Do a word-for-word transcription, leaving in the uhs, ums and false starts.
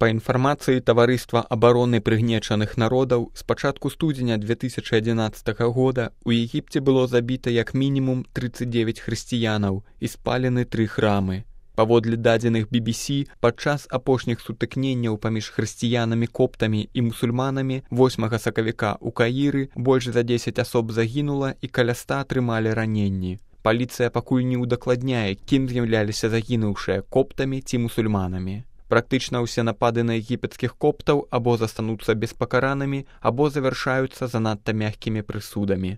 Па інфармацыі таварыства абароны прыгнечаных народаў, з пачатку студзеня две тысячы адзінаццатага года у Егіпце было забіта як мінімум трыццаць дзевяць хрысціянаў і спалены тры храмы. Паводле дадзеных би би сі, падчас апошніх сутыкненняў паміж хрысціянамі-коптамі і мусульманамі восьмага сакавіка ў Каіры больш за дзесяць асоб загінула і каля ста атрымалі раненні. Паліцыя пакуль не ўдакладняе, кім з'яўляліся загінуўшыя коптамі ці мусульманамі. Практычна ўсе напады на егіпецкіх коптаў або застануцца беспакаранымі, або завяршаюцца занадта мяккімі прысудамі.